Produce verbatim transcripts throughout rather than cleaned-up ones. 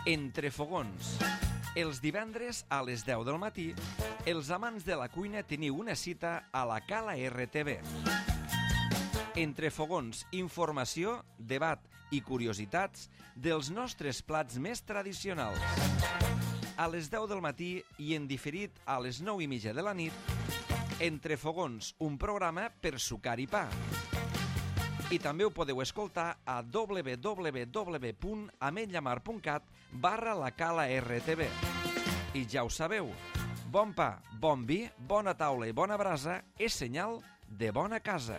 Entre fogons. Els divendres a les deu del matí, els amants de la cuina teniu una cita a la Cala R T V. Entre fogons, informació, debat i curiositats dels nostres plats més tradicionals. A les deu del matí i en diferit a les nou i mitja de la nit, Entre fogons, un programa per sucar i pa. I també ho podeu escoltar a w w w punt ametlllamar punt cat barra la Cala R T V. I ja ho sabeu, bon pa, bon vi, bona taula i bona brasa és senyal de bona casa.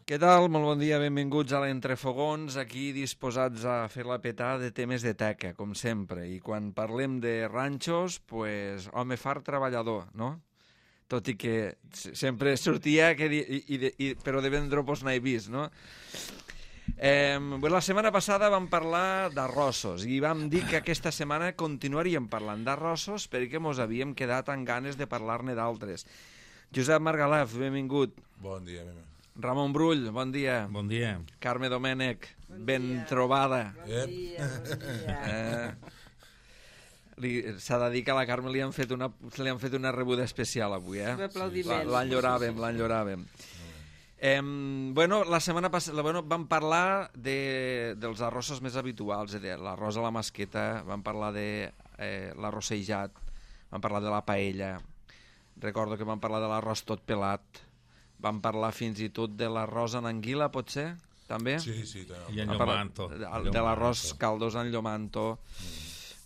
Què tal? Molt bon dia, benvinguts a l'Entrefogons, aquí disposats a fer la petada de temes de teca, com sempre. I quan parlem de ranxos, pues, home fart treballador, no? Tot i que sempre sortia, que di, i, i, i, però de vendre pues n'he vist, no? Eh, la setmana passada vam parlar d'arrossos i vam dir que aquesta setmana continuaríem parlant d'arrossos perquè mos havíem quedat amb ganes de parlar-ne d'altres. Josep Margalef, benvingut. Bon dia, benvingut. Ramon Brull, bon dia. Bon dia. Carme Domènech, bon ben dia. trobada. Bon dia, bon dia. Eh, S'ha de dir que a la Carme li han fet una, li han fet una rebuda especial avui, eh? L'enyoràvem, l'enyoràvem. Eh, bueno, la setmana passada bueno, vam parlar de, dels arrossos més habituals, de l'arròs a la masqueta, vam parlar de eh, l'arrossejat, vam parlar de la paella, recordo que vam parlar de l'arròs tot pelat, vam parlar fins i tot de l'arròs en anguila, pot ser? També? Sí, sí. També. I en llomanto. De, de l'arròs caldós en llomanto. Mm.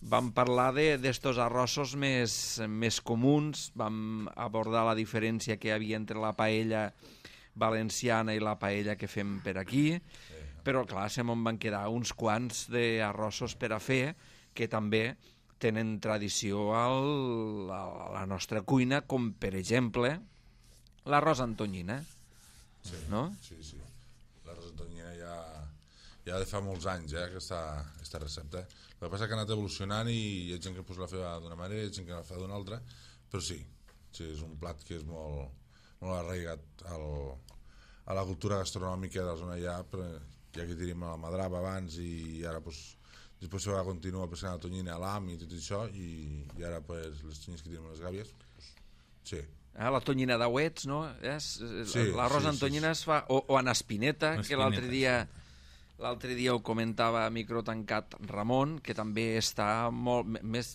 Vam parlar d'estos arrossos més, més comuns, vam abordar la diferència que hi havia entre la paella valenciana i la paella que fem per aquí, però clar, se me'n van quedar uns quants d'arrossos per a fer que també tenen tradició al, a la nostra cuina, com per exemple l'arròs antonyina, sí, no? Sí, sí. L'arròs antonyina ja, ja de fa molts anys, eh, aquesta, aquesta recepta. El que passa que ha anat evolucionant i hi ha gent que pues, la fa d'una manera i hi ha gent que la fa d'una altra, però sí, sí, és un plat que és molt, molt arraigat al, a la cultura gastronòmica de la zona allà, però ja que tenim la madrava abans i ara pues, després se va continuar pescant la tonyina, l'am i tot això, i, i ara pues, les tonyines que tenim a les gàbies, pues, sí. Ah, la tonyina d'auets, no? És, sí, l'arròs sí, en tonyina sí, es fa... O, o en espineta, espineta, que l'altre dia... L'altre dia ho comentava a micro tancat Ramon, que també està molt, més,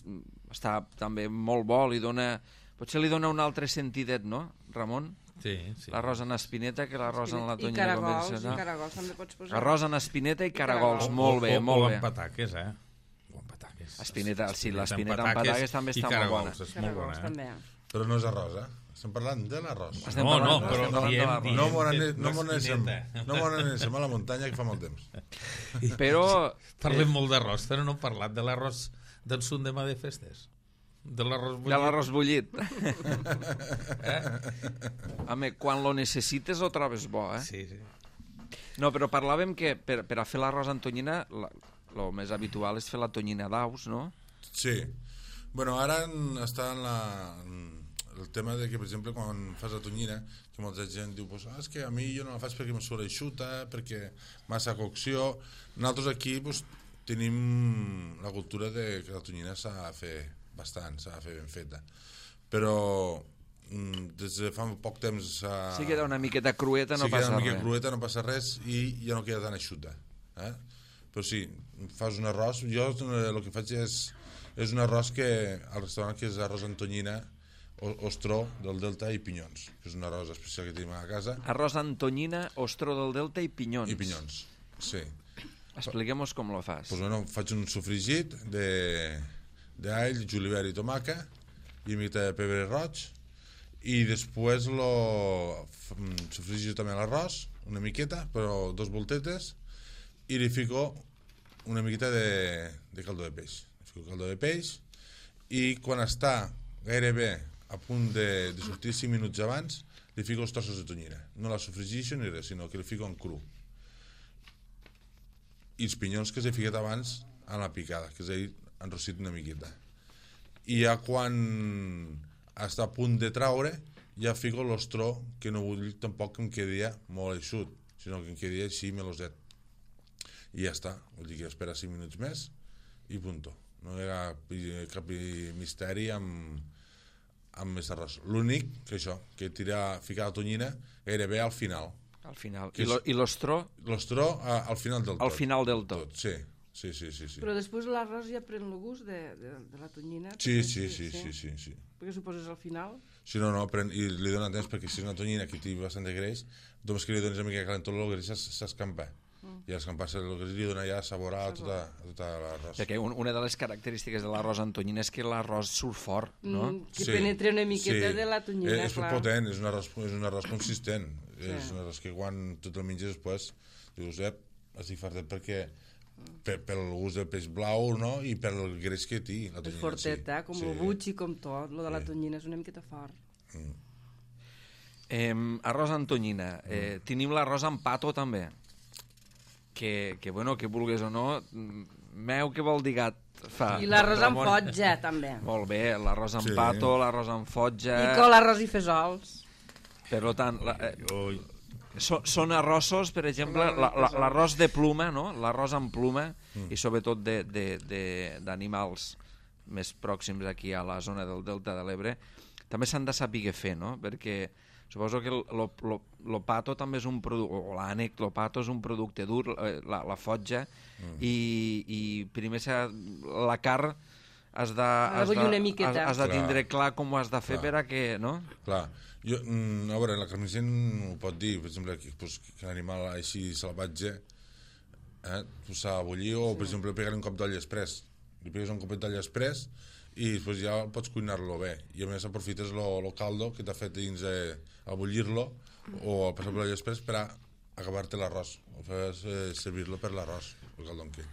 està també molt bo, li dona, potser li dona un altre sentidet, no, Ramon? Sí, sí. L'arròs en espineta que l'arròs en la tonyina. I caragols, i caragols també pots posar. Arròs en espineta i caragols, caragols. molt bé, o, molt o bé. amb pataques, eh? O amb pataques. Espineta, sí, l'espineta amb pataques també està molt bona. És molt bona, eh? També. Però no és arròs, eh? Estem parlant de l'arròs. Estem No, no, parlant- però estem parlant de diem, l'arròs. diem. No m'ho anem no no espineta. no anem a la muntanya que fa molt temps. Però... Parlem molt d'arròs, però no hem parlat de l'arròs del sud demà de festes. De l'arròs bullit. De l'arròs bullit. eh? Home, quan lo necessites ho trobes bo, eh? Sí, sí. No, però parlàvem que per, per a fer l'arròs en tonyina, el més habitual és fer la tonyina d'aus, no? Sí. Bueno, ara en, està en la... En, el tema de que, per exemple, quan fas la tonyina, que molta gent diu, pues, ah, és que a mi jo no la faig perquè me surt eixuta, perquè massa cocció. Nosaltres aquí pues, tenim la cultura de que la tonyina s'ha de fer bastant, s'ha de fer ben feta. Però des de fa poc temps... Uh, sí, queda una miqueta crueta, no sí, passa res. Sí, queda una res. miqueta crueta, no passa res, i ja no queda tan eixuta. Eh? Però sí, fas un arròs... Jo el que faig és, és un arròs que al restaurant que és arròs en tonyina, ostró del Delta i pinyons, que és un arròs especial que tenim a casa. Arròs en tonyina, ostró del Delta i pinyons. I pinyons, sí. Expliquem-nos com lo fas. Pues bueno, faig un sofregit d'all, julivert i tomaca i una mica de pebre roig i després lo sofregit també l'arròs, una miqueta, però dos voltetes, i li fico una miqueta de, de caldo de peix. Li fico caldo de peix i quan està gairebé a punt de, de sortir cinc minuts abans, li fico els trossos de tonyina. No la sofregixo ni res, sinó que li fico en cru. I els pinyons que s'he ficat abans a la picada, que s'ha enrossit una miqueta. I ja quan està a punt de traure, ja fico l'ostró, que no vull tampoc que em quedi molt eixut, sinó que en quedi així meloset. I ja està, vull dir que espera cinc minuts més i punto. No hi ha cap misteri amb, amb més arròs. L'únic que això, que tira, ficar la tonyina gairebé al final. Al final. Que I, lo, és- I l'ostró L'ostró a, al final del tot. al final del tot. Sí, sí, sí, sí. Sí, Però després l'arròs ja pren el gust de, de, de la tonyina. sí, perquè sí, sí, sí, sí, sí. Perquè suposes al final. Si no, no, pren, i li dona temps perquè si és una tonyina que té bastant de greix, només que li dones una mica de calentó, el greix s'es- s'escampa. Mm. I escampar-se el greix li dona ja sabor a tota, a tota l'arròs. Perquè un, una de les característiques de l'arròs amb tonyina és que l'arròs surt fort, no? Mm, que penetre una miqueta de la tonyina, Eh, és clar. potent, és un arròs, és un arròs consistent. Sí. És un arròs que quan tu te'l menges després dius, eh, estic fartet perquè per, pel gust del peix blau, no? I pel greix que té la És tonyina. forteta, com sí. el butxi, com tot. Lo de la Sí. tonyina és una miqueta fort. Eh, arròs amb tonyina. Eh, Mm. tenim l'arròs amb pato també. Que, que, bueno, que vulguis o no, mm, meu que vol dir gat fa. I l'arròs amb Ramon. fotja, també. Molt bé, l'arròs amb Sí. pato, l'arròs amb fotja... I col, arròs i fesols. Per tant, la, eh, Ui. so, són arrossos, per exemple, la- la- l'arròs de pluma, no? L'arròs amb pluma, mm. i sobretot de- de- de- d'animals més pròxims aquí a la zona del Delta de l'Ebre, també s'han de saber fer, no? Perquè suposo que el, lo, lo, lo pato també és un producte, o l'ànec, lo pato és un producte dur, eh, la, la fotja, mm. i, i primer s'ha, la carn has de, has bullir de, una miqueta. has, has de Clar. tindre clar com ho has de fer Clar. per a que, no? Clar, jo, mm, a veure, la carnisser ho pot dir, per exemple, que, pues, que l'animal així salvatge eh, s'ha de bullir, o per exemple pegar un cop d'oll express, li pegues un copet d'oll express i després ja pots cuinar-lo bé, i a més aprofites el caldo que t'ha fet dins eh, a bullir-lo o a passar per l'oll express per a acabar-te l'arròs, o fes eh, servir-lo per l'arròs, el caldó en què.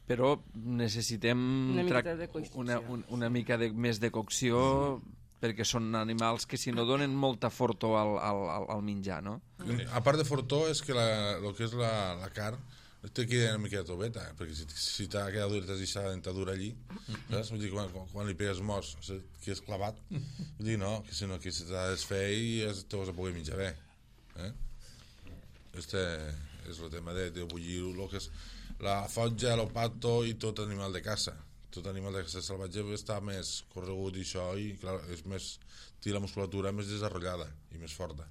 Però necessitem Una miqueta trac- de cocció. una, un, una mica de, més de cocció, perquè són animals que si no donen molta fortor al, al, al- al menjar, no? A part de fortor és que la, el que és la, la carn té que una mica de toveta, eh? Perquè si, si t'ha quedat dura, t'has deixat la dentadura allí, saps? Vull dir, quan, quan, quan li pegues mos, que és clavat, vull dir, no, que si no, que se t'ha de desfer i es- te vas a poder menjar bé. Eh? Este és el tema de, de bullir el que és la fotja, el pato i tot animal de caça. Tot animal de caça salvatge està més corregut i això, i clar, és més, té la musculatura més desenvolupada i més forta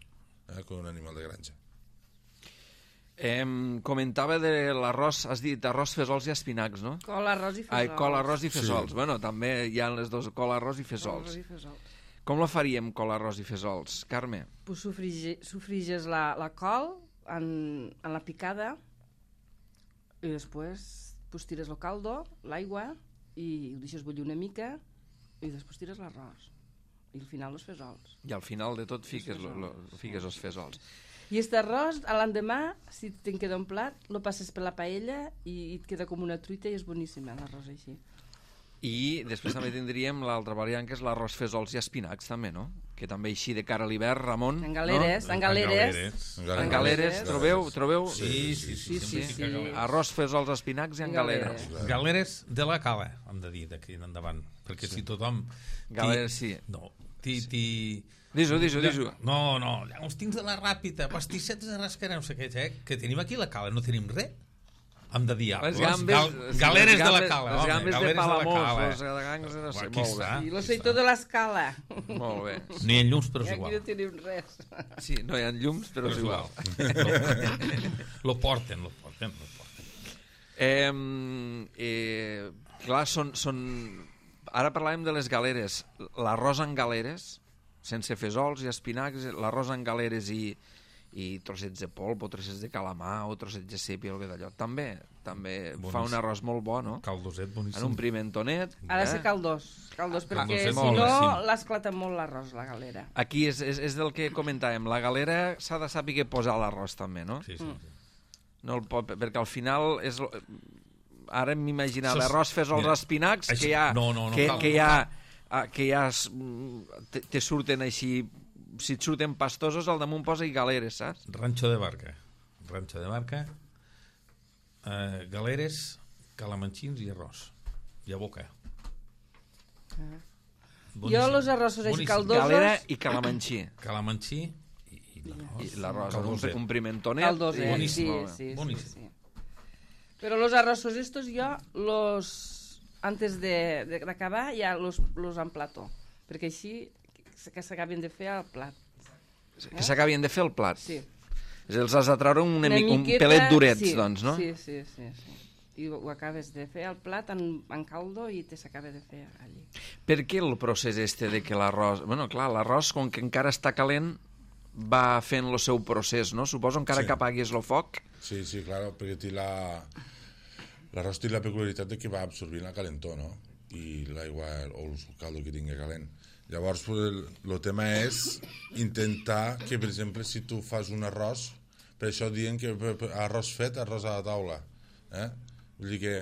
eh, que un animal de granja. Eh, comentava de l'arròs, has dit arròs, fesols i espinacs, no? Col, arròs i fesols. Ai, col, arròs i fesols. Sí. Bueno, també hi ha les dues, col, arròs i fesols. Arròs i fesols. Com la faríem, col, arròs i fesols? Carme? Pues sofrige, sofriges la, la col en, en la picada i després pues, tires el caldo, l'aigua i ho deixes bullir una mica i després tires l'arròs i al final els fesols. I al final de tot fiques, lo, lo, fiques els fesols. I aquest arròs, a l'endemà, si te'n queda un plat, lo passes per la paella i, i et queda com una truita i és boníssim eh, l'arròs així. I després també tindríem l'altra variant, que és l'arròs, fesols i espinacs, també, no? Que també així de cara a l'hivern, Ramon... En galeres, no? en galeres. En En galeres, trobeu? trobeu? Sí, sí, sí. Sí, sí, sempre sí. fica galeres. Arròs, fesols, espinacs i en En galeres. galeres. Galeres de la cala, hem de dir, d'aquí en endavant. Perquè si tothom... Galeres, sí. No, ti... ti... Dis-ho, dis-ho, dis-ho. No, no, hi ha uns tins de la ràpida, pastissets de rascarà, no sé què, eh? Que tenim aquí a la cala, no tenim res. Hem de dir, ah, Les les gambes, gal sí, galeres les de la gambes- cala, les home, gambes de galeres Palamós, la cala. les galegangs, no sé, Aquí molt bé. està. I l'oceitó de l'escala. Molt bé. Ni en llums, però I és aquí igual. no tenim res. Sí, no hi ha llums, però és igual. Lo porten, lo porten, lo porten. Eh, eh, clar, són, són... Ara parlàvem de les galeres. L'arròs en galeres, sense fesols i espinacs, l'arròs en galeres i, i trossets de polp o trossets de calamar o trossets de sèpia o alguna d'allò. També, també fa un arròs molt bo, no? Caldoset boníssim. En un pimentonet. Ha de eh? ser caldós, caldós perquè Caldós, si molt no bé, sí. l'esclata molt l'arròs, la galera. Aquí és, és, és del que comentàvem. La galera s'ha de saber posar l'arròs també, no? Sí, sí, sí. No el pot, perquè al final és... Ara m'imaginava Sos- arròs, fesols, mira, espinacs, això- que ja, no, no, no que, cal, que no ja, cal. ah, que ja es- te, te surten així, si et surten pastosos, al damunt posa i galeres, saps? Rancho de Barca. Rancho de Barca, eh, galeres, calamanxins i arròs. I a boca. Jo los arrossos així Boníssim. caldosos... Galera i calamanxí. Calamanxí i, i l'arròs. I l'arròs, un, Caldoset. un pimentonet. Caldoset, i- Boníssim. sí, molt bé. sí, sí, Boníssim. sí. Pero los arroces estos yo los antes de de- d'acabar ja los los emplato, perquè així que s'acabin de fer al plat. Que s'acabin de fer el plat. Sí. És a dir, els has de treure una, Una mica, un miqueta, pelet durets, sí, doncs, no? Sí, sí, sí, sí. I ho, ho acabes de fer al plat en, en caldo i te s'acaba de fer allí. Per què el procés este de que l'arròs... Bueno, clar, l'arròs, com que encara està calent, va fent el seu procés, no? Suposo encara Sí. que apaguis el foc. Sí, sí, claro, perquè té la... L'arròs té la peculiaritat de que va absorbint la calentor, no? I l'aigua o el caldo que tingui calent. Llavors, pues, el, el tema és intentar que, per exemple, si tu fas un arròs, per això diuen que per, per, arròs fet, arròs a la taula. Eh? Vull dir que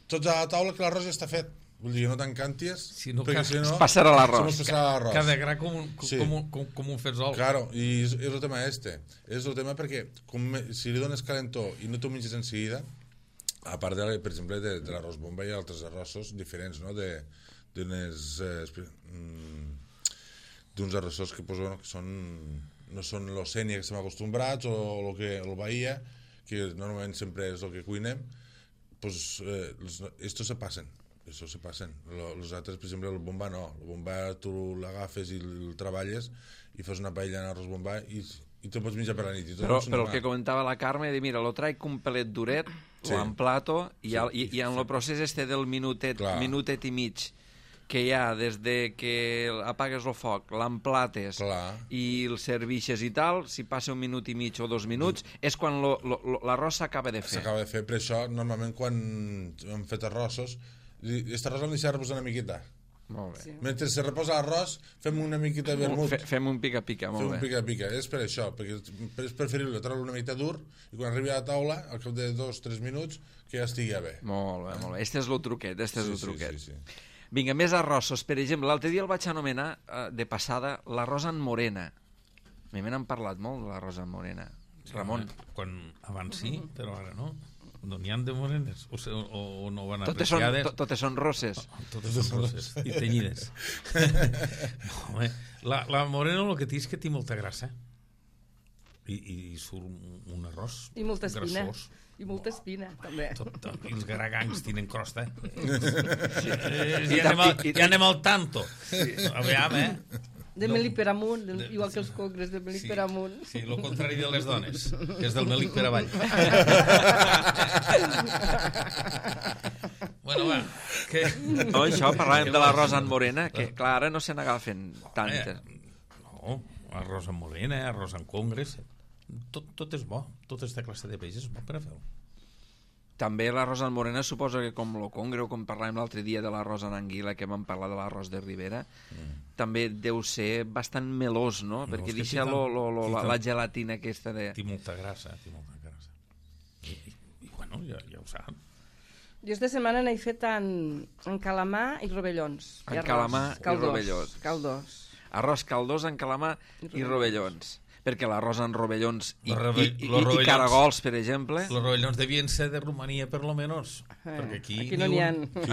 tots a la taula que l'arròs ja està fet. Vull dir que no t'encanties, Si no, perquè ca- si no... Es passarà l'arròs. Si no es passarà l'arròs. Cada gra com un, com, Sí. com, un, com, com un fetzol. Claro, i és, és el tema este. És el tema perquè com, me- si li dones calentó i no t'ho menges en seguida, a part, de, per exemple, de, de l'arròs bomba hi ha altres arrossos diferents, no? De, d'unes, eh, espe- mm, d'uns arrossos que, pues, bueno, que són, no són l'ocènia que estem acostumbrats o el que el bahia, que normalment sempre és el que cuinem, pues, eh, els, estos se passen. Eso se passen. Lo- Los altres, per exemple, el bomba no. El bomba tu l'agafes i el treballes i fas una paella en arròs bomba i, i te'l pots menjar per la nit. I tot Però, és però el normal. que comentava la Carme, de mira, lo traic un pelet duret, Sí. lo emplato, i, al, i, i en el procés este del minutet, Clar. minutet i mig, que hi ha des de que apagues el foc, l'emplates Clar. i el serviixes i tal, si passa un minut i mig o dos minuts, és quan lo, lo, lo, l'arròs s'acaba de fer. S'acaba de fer, per això, normalment, quan hem fet arrossos, aquest arròs l'hem deixat reposar una miqueta. Molt bé. Sí. Mentre se reposa l'arròs, fem una miqueta de vermut. Fe, fem un pica-pica, Fem molt un bé. pica-pica. És per això, perquè és preferible treure una miqueta dur i quan arribi a la taula, al cap de dos o tres minuts, que ja estigui bé. Molt bé, molt bé. Este és el truquet, este és Sí, el sí, truquet. sí, sí. Vinga, més arrossos. Per exemple, l'altre dia el vaig anomenar, eh, de passada, l'arròs en morena. A mi me n'han parlat molt de l'arròs en morena. Ramon, Quan abans sí, però ara no. No n'hi ha de morenes. O, se- o, o no van totes són, apreciades. to, totes són rosses. Totes són roses i tenyides. Home, la, la morena el que té és que té molta grassa. I, i, i surt un, un arròs I molta espina. grassós. I molta espina, també. Tot, tot, I els garagangs tenen crosta. Sí. Eh, I ja, anem al, i- i- ja anem al tanto. Sí. Aviam, eh? De No. melic per amunt, de, De- igual que els congres de melic Sí. per amunt. Sí, el contrari de les dones, que és del melic per avall. Bueno, va, que... No, això, parlàvem de l'arròs en morena, que clar, ara no se n'agafen tantes. Eh, no, arròs amb morena, arròs amb congres, tot, tot és bo, tota aquesta classe de peix és bo per a fer-ho. També l'arròs en morena suposo que com lo congre o com parlàvem l'altre dia de l'arròs en anguila, que vam parlar de l'arròs de Ribera, mm. també deu ser bastant melós, no? No, Perquè és que deixa té lo, tant- lo, lo, té la, tant- la gelatina aquesta de... Té molta grassa, té molta grassa. I, i, i bueno, ja, ja ho sap. Jo esta setmana n'he fet en, en calamar i rovellons. En I arròs. calamar i Caldós, rovellons. Caldós. Arròs caldós en calamar i rovellons. Perquè l'arròs en rovellons i, Los i, rove- i, los i, rovellons- caragols, per exemple, Els rovellons devien ser de Romania, per lo menos. Eh, perquè aquí, aquí no n'hi ha.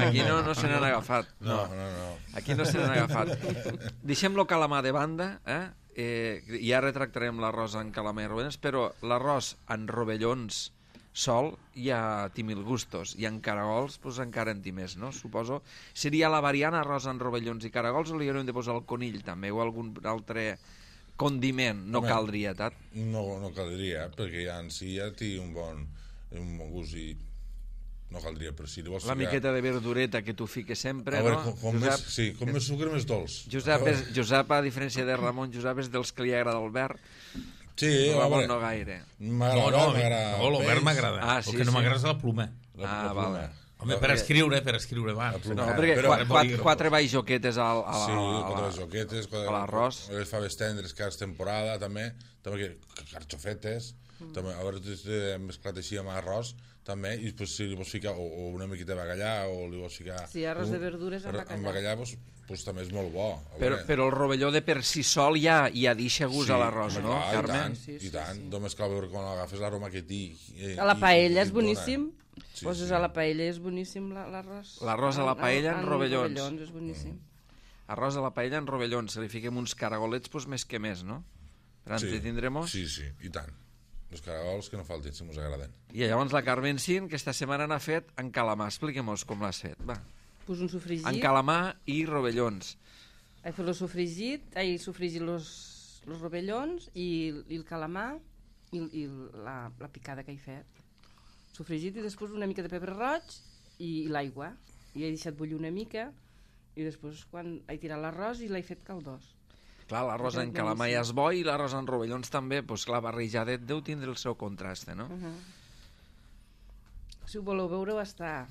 aquí no, no se n'han agafat. No, no, no. Aquí no se n'han agafat. Deixem-lo calamar de banda, eh? Eh, ja retractarem l'arròs en calamar i rovellons, però l'arròs en rovellons sol ja té mil gustos, i en caragols pues, encara en té més, no? Suposo. Seria la variant arròs en rovellons i caragols, o li haurem de posar el conill també, o algun altre condiment? No Home, caldria tant. No, no caldria, perquè ja en si ja té un bon, un bon gust i no caldria, però si li vols La ficar- miqueta de verdureta que tu fiques sempre, A veure, no? com, com Josep, més, sí, com més sucre, més dolç. Josep, és, Josep, a diferència de Ramon, Josep és dels que li agrada el verd, Sí, a Ramon veure, no gaire. No, m'agrada, no, m'agrada no, el l'obert peix, m'agrada. Ah, El sí, que no sí. m'agrada és la pluma. la- Ah, la vale. pluma. Home, per escriure, per escriure, va. La pluma. No, Ah, perquè però- qua- qua- bolígraf. quatre baixoquetes al, a, Sí, a, a, quatre la- joquetes, a l'arròs. les faves tendres, que és temporada, també, també que, que carxofetes, mm. també, a veure, tu hem mesclat així amb arròs, també, i després si li vols ficar o, o una miqueta de bacallà, o li vols ficar... Sí, arròs de verdures amb arròs- bacallà. Amb bacallà, doncs, doncs també és molt bo. A Però, veure. però el rovelló de per si sol ja, ja deixa gust a l'arròs, home, no, clar, Carme? I tant, Sí, sí, i tant. sí. Només cal veure quan agafes l'aroma que té. i- A la i- paella i és et dona. boníssim. Sí, Poses sí. a la paella és boníssim la- l'arròs. L'arròs a la paella en rovellons. rovellons és boníssim. Arròs a la paella en rovellons, si li fiquem uns caragolets, doncs més que més, no? per entretindremos. Sí, sí, i tant. Els caragols que no faltin, si mos agraden. I llavors la Carmen Sin, que esta setmana n'ha fet en calamar. Expliquem-nos com l'has fet, va. Pues un sofregit. En calamar i rovellons. He fet el sofregit, he sofregit los, los rovellons i, i el calamar i, i la, la picada que he fet. Sofregit i després una mica de pebre roig i, i l'aigua. I he deixat bullir una mica i després quan he tirat l'arròs i l'he fet caldós. Clar, l'arròs en calamar ja és bo i l'arròs en rovellons també, doncs clar, barrejadet deu tindre el seu contrast, no? Uh -huh. Si ho voleu veure, està...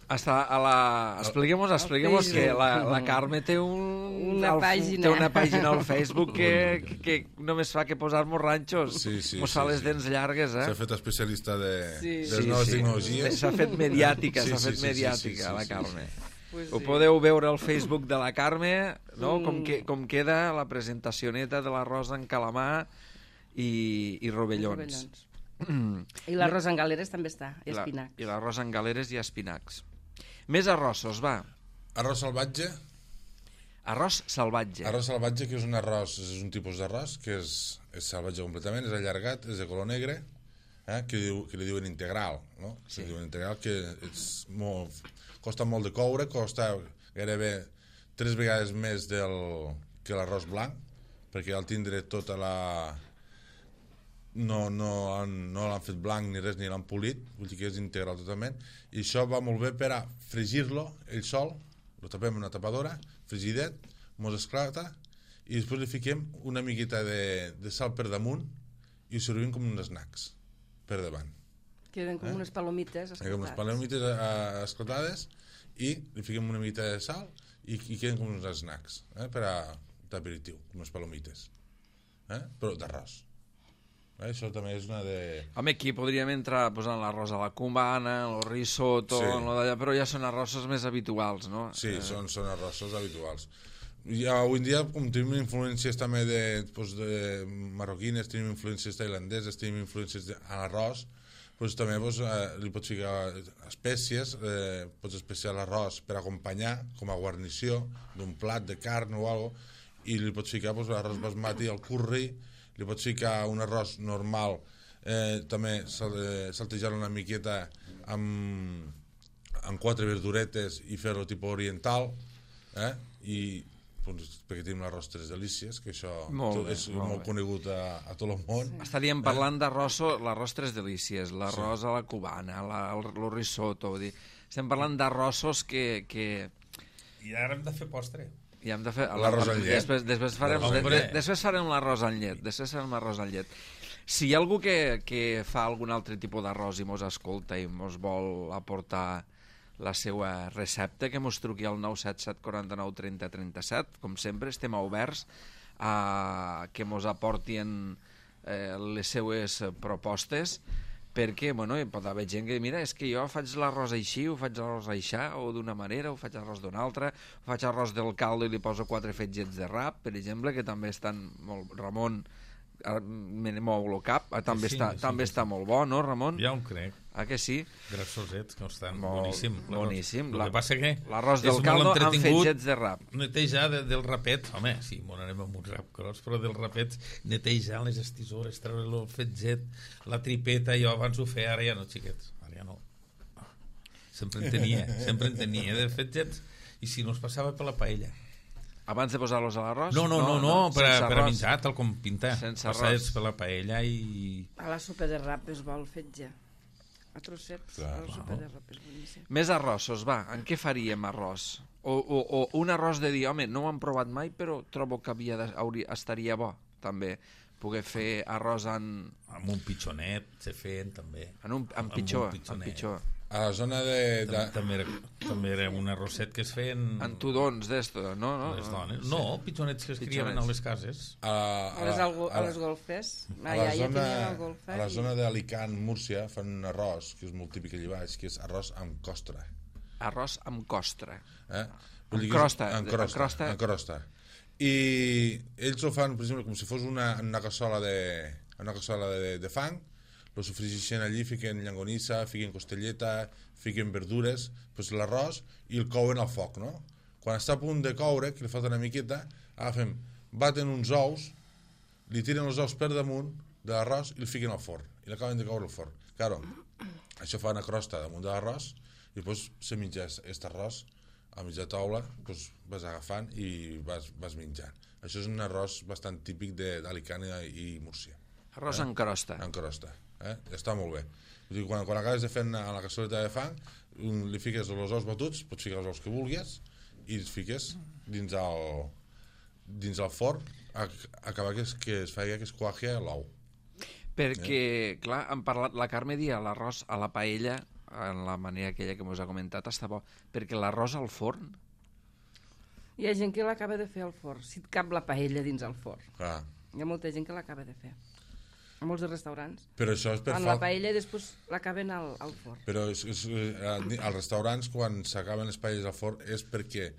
Està a la... Expliquem-nos, expliquem-nos que la, la Carme té un... Una el, pàgina. Té una pàgina al Facebook que, que, que només fa que posar-nos ranxos. Sí, sí, Mos sí, fa les sí. dents llargues, eh? S'ha fet especialista de, Sí. de les Sí, noves sí. tecnologies. S'ha fet mediàtica, Sí, s'ha sí, fet sí, sí, mediàtica, sí, sí, la sí, Carme. Pues Ho sí. podeu veure al Facebook de la Carme, no? Mm. Com, que, com queda la presentació neta de l'arròs en calamar i, i rovellons. rovellons. I l'arròs en galeres també està, i La- espinacs. I l'arròs en galeres i espinacs. Més arrossos, va. Arròs salvatge. Arròs salvatge. Arròs salvatge, que és un arròs, és un tipus d'arròs que és, és salvatge completament, és allargat, és de color negre, eh, que, diu, que li diuen integral, no? Sí. Que diuen integral, que és molt, costa molt de coure, costa gairebé tres vegades més del, que l'arròs blanc, perquè al tindre tota la... no, no, han- no l'han fet blanc ni res, ni l'han polit, vull dir que és integral totalment, i això va molt bé per a fregir-lo ell sol, lo tapem en una tapadora, frigidet, mos esclata, i després li fiquem una miqueta de, de sal per damunt i ho servim com uns snacks per davant. Queden com Eh? unes palomites Eh, com les esclatades. palomites eh, esclatades i li fiquem una miqueta de sal i, i queden com uns snacks, eh, per a d'aperitiu, com les palomites, eh, però d'arròs. Eh, això també és una de... Home, aquí podríem entrar posant l'arròs a la cubana, el risotto, Sí. lo d'allà, però ja són arrossos més habituals, no? Sí, Eh, són, són arrossos habituals. I avui en dia, com tenim influències també de, doncs, de marroquines, tenim influències tailandeses, tenim influències de, a l'arròs, doncs, també doncs, eh, li pots ficar espècies, eh, pots especiar l'arròs per acompanyar, com a guarnició d'un plat de carn o alguna cosa, i li pots ficar doncs, l'arròs basmati, el curri, li pots ficar un arròs normal, eh, també sal, eh, saltejar-lo una miqueta amb, amb quatre verduretes i fer-lo tipus oriental, eh? I doncs, perquè tenim l'arròs Tres Delícies, que això Molt bé, és molt molt bé. conegut a, a tot el món. Estaríem parlant d'arròs, l'arròs Tres Delícies, l'arròs a la cubana, la, el, el risotto, vull dir, estem parlant d'arrossos que, que I ara hem de fer postre. i hem de fer... L'arròs amb llet. Després, després farem, de, Hombre. de, després farem l'arròs amb llet, després farem l'arròs amb llet. Si hi ha algú que, que fa algun altre tipus d'arròs i mos escolta i mos vol aportar la seva recepta, que mos truqui al nou set set quatre nou trenta trenta set. Com sempre, estem oberts a que mos aportin eh, les seues propostes, perquè, bueno, hi pot haver gent que, mira, és que jo faig l'arròs així, ho faig l'arròs aixà, o d'una manera, ho faig arròs d'una altra, ho faig arròs del caldo i li poso quatre fetgets de rap, per exemple, que també estan molt... Ramon, ara me ne mou el cap, ah, també, Sí, està, sí, també sí, està molt bo, no, Ramon? Ja ho crec. Ah, que sí? Grassosets, que estan Molt boníssim. boníssim. El La- que passa que l'arròs és del molt caldo amb entretingut fetgets de rap. netejar de, del rapet. Home, sí, m'ho anem amb un rap gros, però del rapet netejar les estisores, treure el fetget, la tripeta, jo abans ho feia, ara ja no, xiquets, ara ja no. Sempre en tenia, sempre en tenia de fetgets, i si no es passava per la paella. Abans de posar-los a l'arròs? No, no, no, no, per, a, sense per a arròs. menjar, tal com pintar. Sense Passats arròs. per la paella i... A la sopa de rap és bo el fetge. A trossets, Clar, a la sopa de rap és boníssim. Més arrossos, va. En què faríem arròs? O, o, o un arròs de dir, home, no ho hem provat mai, però trobo que havia de, hauria, estaria bo, també, poder fer arròs en, Amb un pitjonet se feien, també. en, un, en Amb pitjor, un en pitjonet. pitjor. A la zona de... de... També, també, era, també era un arrosset que es feien... En tudons d'esto, no? no? les dones. No, pitjonets que es criaven a les cases. A, A les, algo, a les golfes. a Ah, la ja, ja zona, tenien el golfe. a la i- zona d'Alicant, Múrcia, fan un arròs, que és molt típic allà baix, que és arròs amb costra. Arròs amb costra. Eh? Amb dir que és- crosta, amb amb crosta, crosta. amb crosta. I ells ho fan, per exemple, com si fos una, una cassola de, una cassola de, de fang, lo sofregeixen allí, fiquen llangonissa, fiquen costelleta, fiquen verdures, pues l'arròs, i el couen al foc, no? Quan està a punt de coure, que li falta una miqueta, agafem, baten uns ous, li tiren els ous per damunt de l'arròs i el fiquen al forn, i l'acaben de coure al forn. Claro, això fa una crosta damunt de l'arròs, i després se menja aquest arròs a mitja taula, doncs vas agafant i vas, vas menjant. Això és un arròs bastant típic d'Alicant i Múrcia. Arròs eh? en crosta. En crosta, eh? Està molt bé. Vull dir, quan, quan acabes de fer a la cassoleta de fang, un, li fiques els ous batuts, pots ficar els ous que vulguis, i els fiques dins el, dins el forn, a, a acabar que es, que es faci que es quaje l'ou. Perquè, eh? clar, han parlat, la Carme dia l'arròs a la paella, en la manera aquella que us ha comentat, està bo, perquè l'arròs al forn... Hi ha gent que l'acaba de fer al forn, si et cap la paella dins el forn. Ah. Hi ha molta gent que l'acaba de fer. A molts restaurants. Però això és per en la paella i després l'acaben al, al forn. Però és, és, als restaurants, quan s'acaben les paelles al forn, és perquè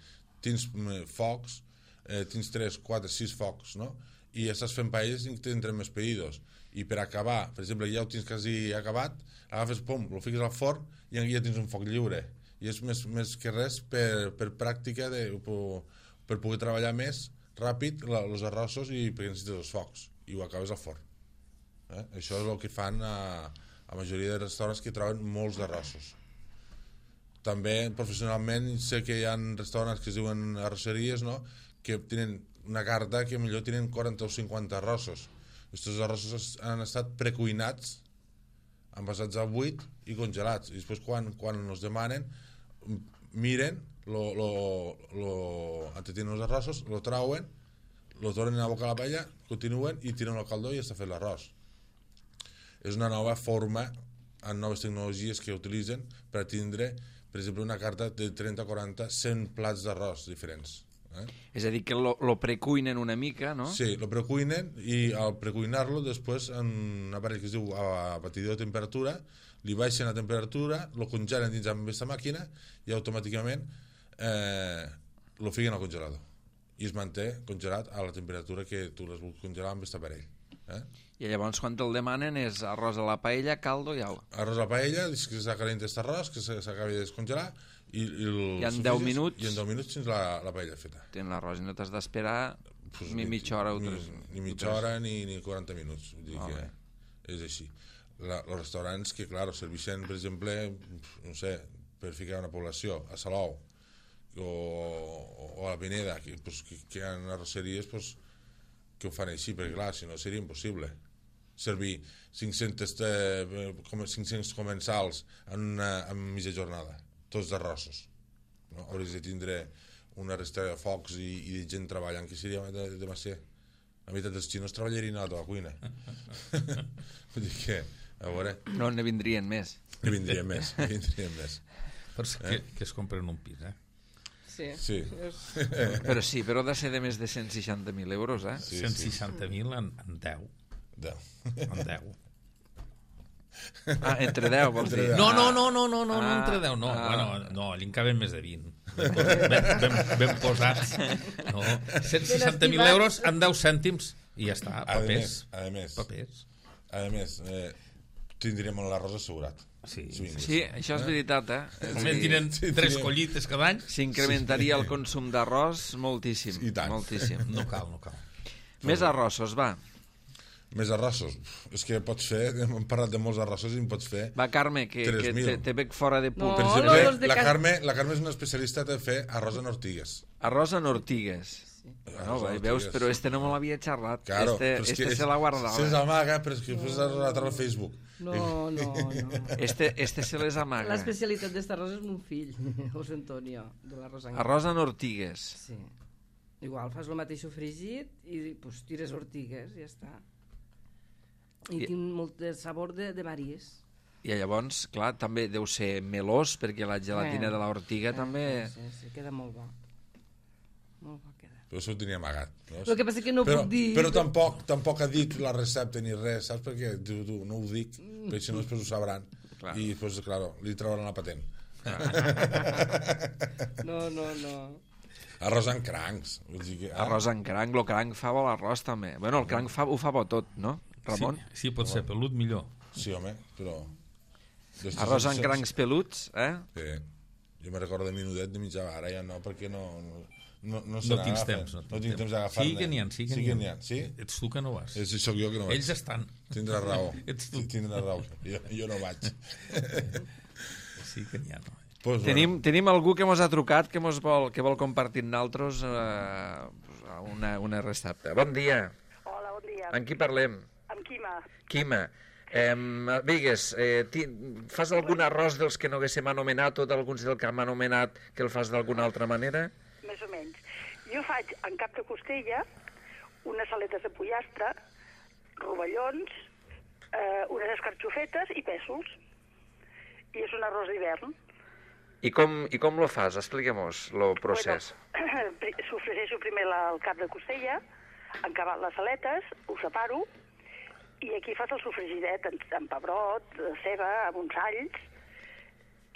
tens focs, eh, tens tres, quatre, sis focs, no? I estàs fent paelles i tindrem més pedidos. I per acabar, per exemple, ja ho tens quasi acabat, agafes, pom, lo fiques al forn i ja tens un foc lliure. I és més, més que res per, per pràctica, de, per, per poder treballar més ràpid els arrossos i perquè necessites els focs. I ho acabes al forn. Eh? Això és el que fan a, a majoria de restaurants que troben molts d'arrossos. També, professionalment, sé que hi ha restaurants que es diuen arrosseries, no?, que tenen una carta que millor tenen quaranta o cinquanta arrossos. Aquests arrossos han estat precuinats, envasats a buit i congelats. I després, quan, quan els demanen, miren, lo, lo, lo, entretenen els arrossos, lo trauen, lo tornen a boca a la paella, continuen i tiren el caldó i està fet l'arròs. És una nova forma, amb noves tecnologies que utilitzen per tindre, per exemple, una carta de trenta, quaranta, cent plats d'arròs diferents. Eh? És a dir, que lo, lo precuinen una mica, no? Sí, lo precuinen i al precuinar-lo després en un aparell que es diu a batidor de temperatura, li baixen la temperatura, lo congelen dins amb aquesta màquina i automàticament eh, lo fiquen al congelador i es manté congelat a la temperatura que tu les vols congelar amb aquest aparell. Eh? I llavors quan te'l demanen és arròs a la paella, caldo i au. Arròs a la paella, que s'ha calent aquest arròs, que s'acabi de descongelar i, i, I en deu minuts i en deu minuts tens la, la paella feta. Tens l'arròs i no t'has d'esperar pues ni mitja hora o ni, tres. Ni mitja hora ni, ni quaranta minuts. Vull dir oh, que bé. és així. La, els restaurants que, clar, serveixen, per exemple, no sé, per ficar una població, a Salou o, o a la Pineda, que, pues, que, que hi ha arrosseries pues, que ho fan així, perquè clar, si no seria impossible servir cinc-cents, eh, cinc-cents comensals en, una, en mitja jornada, tots d'arrossos. No? Hauries de tindre una resta de focs i, i de gent treballant, que seria de, de masser. La meitat dels xinos treballarien a la cuina. Vull dir que, a veure... No, ne vindrien més. Ne vindrien més, ne vindrien més. Però és que, eh? que es compren un pis, eh? Sí. Sí. Però sí, però ha de ser de més de cent seixanta mil euros, eh? Sí, cent seixanta mil en, en deu. Deu. En deu. Ah, entre deu, vols dir? No, no, no, no, no, no, Ah, no entre deu, no. ah. Bueno, no, allí en caben més de vint. Ben, ben, ben posats. No. cent seixanta mil euros en deu cèntims i ja està, A papers. més, a més, Papers. a més eh, tindríem l'arròs assegurat. Sí, Sí. Sí, això és veritat, eh? És a Almenys dir, tenen sí, tres sí. collites cada any. s'incrementaria el consum d'arròs moltíssim. I tant. Moltíssim. No cal, no cal. Més arrossos, va. Més arrossos. És que pots fer, hem parlat de molts arrossos i en pots fer... Va, Carme, que, tres que mil. te, te veig fora de punt. No, Per no, exemple, los de la, casa- Carme, la Carme és una especialista de fer arròs en ortigues. Arròs en ortigues. Arròs No, en va, ortigues. veus, però este no me l'havia xerrat. Claro, este però és este que se l'ha guardat. Se l'amaga, però és que després l'ha a al Facebook. No, no, no. Este, este se les amaga. L'especialitat d'esta arròs és mon fill, José Antonio, de l'arròs en Arròs en ortigues. Sí. Igual fas el mateix sofregit i pues, tires ortigues i ja està. I, I- tinc molt de sabor de, de maris. I llavors, clar, també deu ser melós, perquè la gelatina Eh. de l'ortiga també... Sí, sí, sí, queda molt bo. Molt bo queda. Però això ho tenia amagat. No? El que passa que no però, puc dir... Però tampoc, tampoc ha dit la recepta ni res, saps? Perquè tu, tu, no ho dic, perquè si no després ho sabran. Clar. I després, clar, li trauran la patent. No, no, no. Arròs en crancs. Vull dir que, ah, Arròs en cranc, el cranc fa bo l'arròs també. Bueno, el cranc fa, ho fa bo tot, no, Ramon? Sí, sí, pot ser pelut millor. Sí, home, però... Arròs en crancs peluts, eh? Sí. Jo me recordo de minudet de mitja, ara ja no, perquè no, no, No, no, no tens temps. No, no tinc temps d'agafar-ne. Sí que n'hi ha, sí que sí n'hi ha. ha. Sí? Ets tu que no vas. És, sóc jo que no vaig. Ells estan. Tindràs raó. Ets tu. Tindràs raó. Jo, jo no vaig. Sí que n'hi ha, no? Pues, Tenim, tenim algú que mos ha trucat que, mos vol, que vol compartir amb nosaltres eh, una, una recepta. Bon dia. Hola, bon dia. Amb qui parlem? Amb Quima. Quima. Eh, digues, eh, ti, fas algun arròs dels que no haguéssim anomenat o d'alguns del que hem anomenat que el fas d'alguna altra manera? Més o menys. Jo faig en cap de costella unes aletes de pollastre, rovellons, eh, unes escarxofetes i pèsols. I és un arròs d'hivern. I com, i com lo fas? Expliquem-nos el procés. Bueno, sofregeixo primer la, el cap de costella, encabat les aletes, ho separo, i aquí fas el sofregidet amb, amb pebrot, ceba, amb uns alls,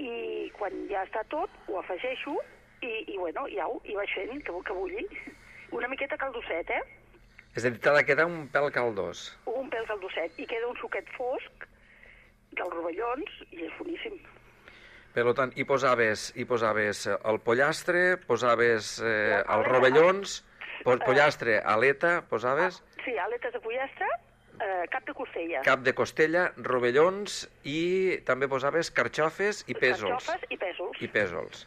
i quan ja està tot, ho afegeixo, i, i bueno, ja ho, i vaig fent, que, que bulli. Una miqueta caldosset, eh? És a dir, t'ha de quedar un pèl caldós. Un pèl caldosset, i queda un suquet fosc dels rovellons, i és boníssim. Per tant, hi posaves, hi posaves el pollastre, posaves eh, els rovellons, po pollastre, aleta, posaves... Sí, aletes de pollastre, eh, cap de costella. Cap de costella, rovellons i també posaves carxofes i pèsols. Carxofes i pèsols. I pèsols.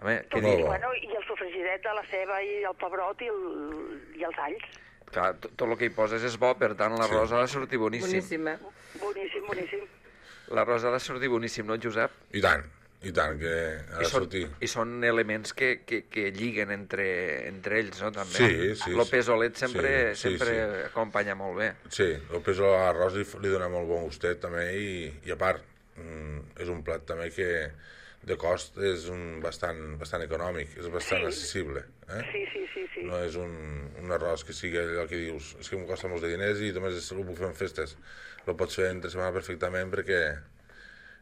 Home, Tot, què i, bueno, I el sofregidet de la ceba i el pebrot i, el, i els alls. Clar, tot, tot el que hi poses és bo, per tant l'arròs sí. ha de sortir boníssim. Boníssima. Boníssim, boníssim. L'arròs ha de sortir boníssim, no, Josep? I tant, i tant, que ha de I són, sortir. I són elements que, que, que lliguen entre, entre ells, no, també? Sí, sí. El pesolet sempre, sí, sí, sempre sí. acompanya molt bé. Sí, el pèsol a l'arròs li, li dona molt bon gustet també i, i a part, mm, és un plat també que de cost és un bastant, bastant econòmic, és bastant Sí. accessible. Eh? Sí, sí, sí, sí. No és un, un arròs que sigui allò que dius és que em costa molts de diners i només ho puc fer en festes. Lo pots fer entre setmana perfectament perquè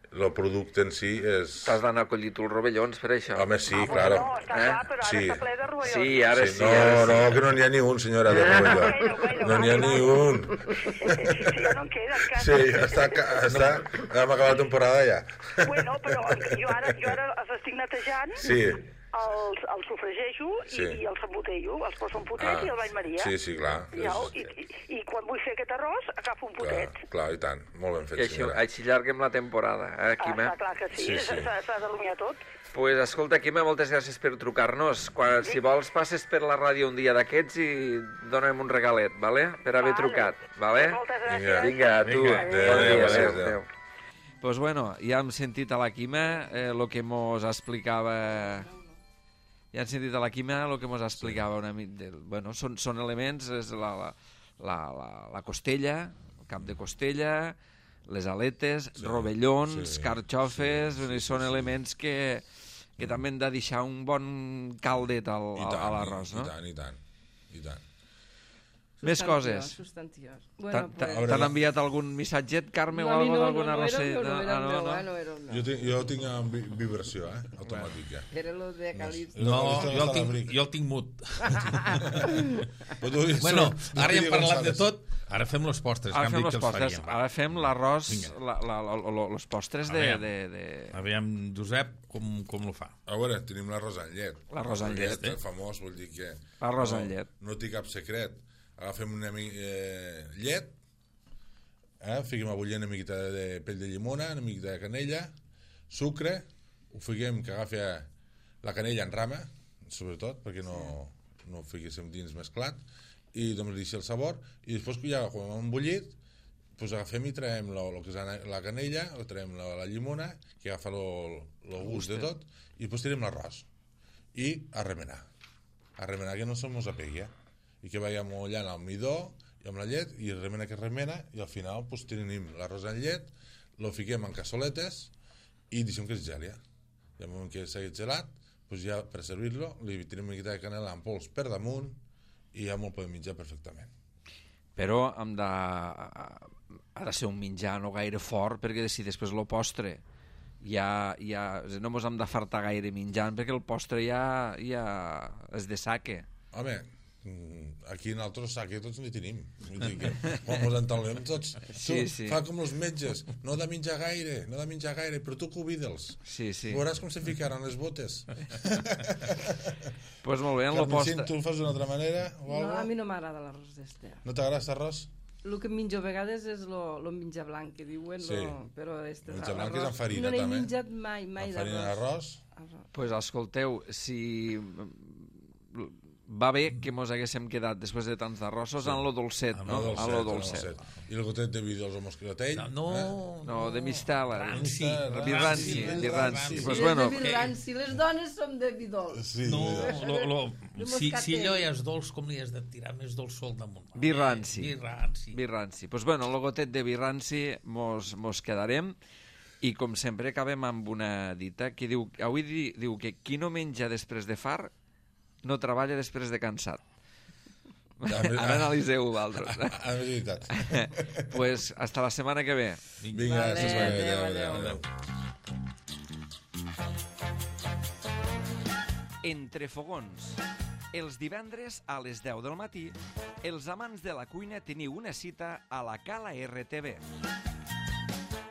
el producte en si és... T'has d'anar a collir tu els rovellons per això. Home, sí, Ah, claro. No, està Eh? clar, però ara Sí. està ple de rovellons. Sí, ara sí, Sí, no, ara sí. no, que no n'hi ha ni un, senyora, de rovelló. Bueno, bueno, No n'hi ha vale, ni vale. un. Sí, ja no en queda, encara. Sí, està, està, hem acabat la temporada ja. Bueno, però jo ara, jo ara els estic netejant, Sí. els, els sofregeixo i, Sí. i els embotello, els poso un potet Ah, i el bany Maria. sí, sí, clar. Ja, És- i, i, I quan vull fer aquest arròs, agafo un potet. Clar, clar, i tant. Molt ben I fet, així, senyora. així llarguem la temporada, eh, Ah, Quima? està clar que sí, Sí, sí. s'ha s'ha d'alumiar tot. Pues escolta, Quima, moltes gràcies per trucar-nos. Quan, si vols, passes per la ràdio un dia d'aquests i dona'm un regalet, vale? Per haver Vale. trucat, vale? Moltes Vinga. gràcies. Vinga, a tu. Vinga. Adéu, Bon dia, adéu, adéu, adéu. adéu. Pues bueno, ja hem sentit a la Quima eh, lo que mos explicava... Ja hem sentit a la Quima el que mos explicava una mica... Bueno, són, són elements, és la, la, la, la, la costella, el cap de costella, les aletes, Sí, rovellons, sí, carxofes, sí, sí, sí, són sí. elements que, que també han de deixar un bon caldet al, I al, tant, a l'arròs, no? I tant, i tant, i tant. Més coses. Substantiós. T'han Bueno, t'ha- pues... veure, t'han la- enviat algun missatget, Carme, No, o a mi alguna no, d'alguna no, no, era rosseta? el meu, no era Ah, el no, meu, no. eh, no era el meu. Jo tinc, jo tinc en vi- vibració, eh? Automàtica. Era lo de Calipso. No, Esto no jo el està a tinc, l'abric. jo el tinc mut. Però tu dius, Bueno, no, ara ja hem no parlat de González. tot, ara fem los postres, Ara que fem hem dit els que els postres, faríem. ara fem l'arròs, Vinga. la, la, la, la, los postres de, Aviam. de, de... Aviam, Josep, com, com lo fa? A veure, tenim l'arròs amb llet. L'arròs amb llet, El famós, vull dir que... L'arròs no, amb llet. No té cap secret. Agafem una mi eh, llet, eh, fiquem a bullir una miqueta de pell de llimona, una miqueta de canella, sucre, ho fiquem que agafi la canella en rama, sobretot, perquè no, no ho fiquéssim dins mesclat, i doncs deixi el sabor, i després ja quan hem bullit, pues agafem i traiem lo, lo que és la, la canella, o traiem la, la llimona, que agafa el gust de tot, i després tirem l'arròs. I a remenar. A remenar que no se mos apegui, eh? I que vagi amollant el midó i amb la llet, i remena que remena, i al final pues, tenim l'arròs en llet, lo fiquem en cassoletes i deixem que es geli. I al moment que s'hagi gelat, pues ja per servir-lo, li tirem una miqueta de canela en pols per damunt i ja me'l podem menjar perfectament. Però hem de... ha de ser un menjar no gaire fort, perquè si després el postre ja, ja no mos hem de fartar gaire menjant, perquè el postre ja, ja és de saque. Home, aquí nosaltres sac que tots n'hi tenim. Vull dir que quan ens entalem tots, tu, Sí, sí. fa com els metges, no de menjar gaire, no de menjar gaire, però tu cuida'ls. Sí, sí. Veuràs com se ficaran les botes. Pues molt bé, en lo Carmencín, postre... tu ho fas d'una altra manera o No, algo? a mi no m'agrada l'arròs d'este. No t'agrada aquest arròs? El que em menjo a vegades és lo, lo menja blanc, que diuen, Sí. lo, però este El menjar blanc és amb farina, no n'he també. menjat mai, mai Amb farina d'arròs. d'arròs? Pues escolteu, si va bé que mos haguéssim quedat després de tants d'arrossos sí. en lo dolcet, Ah, no? No, En lo dolcet. I el gotet de vi dels o moscatell? No, no, Eh? No, de mistela. Ranci. Vi ranci, Ranci, vi ranci. ranci. Pues Sí, bueno, és de vi ranci. Les dones som de vi dolç. Sí, No, mira. lo, lo, De si, moscatell. si allò ja és dolç, com li has de tirar més dolç sol damunt? Vi ranci. Vi ranci. vi ranci. Pues bueno, el gotet de vi ranci mos, mos quedarem i com sempre acabem amb una dita que diu, avui di, diu que qui no menja després de far no treballa després de cansat. Ja, Ara analiseu vosaltres. Ah, és veritat. Pues hasta la setmana que ve. Vinga, Vale, sí, adéu, adéu, adéu. adéu. Entre fogons. Els divendres a les deu del matí, els amants de la cuina teniu una cita a la Cala R T V.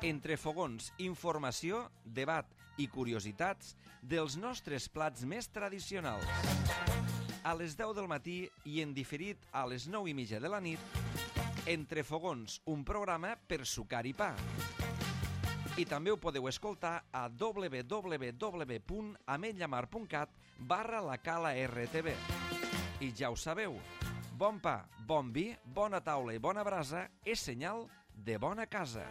Entre fogons, informació, debat i curiositats dels nostres plats més tradicionals. A les deu del matí i en diferit a les nou i mitja de la nit, Entre fogons, un programa per sucar i pa. I també ho podeu escoltar a w w w punt ametlllamar punt cat barra la Cala R T V. I ja ho sabeu, bon pa, bon vi, bona taula i bona brasa és senyal de bona casa.